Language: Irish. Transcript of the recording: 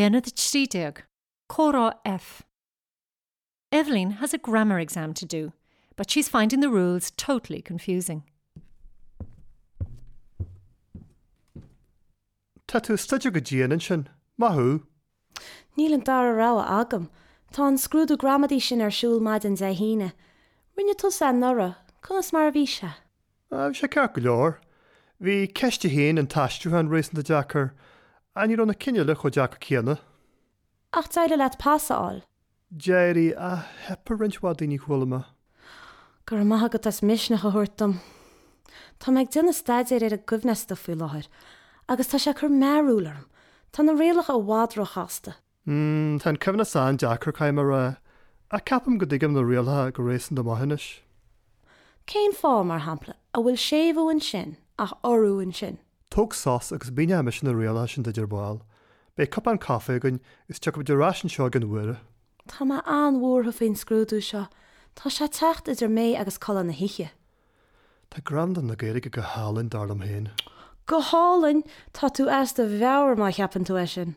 Aonad 13, Comhrá F. Evelyn has a grammar exam to do, but she's finding the rules totally confusing. Tá tú ag staidéar go dian ansin. Maith thú! Níl an dara rogha agam. Tá an scrúdú gramadaí sin ar siúl maidin Dé hAoine. Rinne tusa é anuraidh, conas mar a bhí sé? Bhí sé ceart go leor. Bhí ceist a haon, an t-aistriúchán, réasúnta deacair, ach ní raibh na cinn eile chomh deacair céanna. Ach d'éirigh leat pas a fháil. D'éirigh, ach theip ar roinnt mhaith daoine, chuala mé. Go raibh maith agat as misneach a thabhairt dom. Tá mé ag déanamh staidéir ar an gcoibhneasta faoi láthair agus tá sé ag cur mearúil orm. Tá na rialacha i bhfad róchasta. Mm, tá an coibhneasta an-deacair, caithfidh mé a rá. Ach ceapaim go dtuigim na rialacha go réasúnta maith anois. Cén fáth, mar shampla, a bhfuil séimhiú ansin ach urú ansin? Tóg sos agus míneoidh mise na rialacha sin duit ar ball. Beidh cupán caife againn agus tiocfaimid ar ais anseo i gcionn uaire. Tá mé an-bhuartha faoin scrúdú seo. Tá sé ag teacht idir mé agus codladh na hoíche. Tá gramadach na Gaeilge go hálainn, dar liom féin. Go hálainn? Tá tú as do mheabhair má cheapann tú é sin.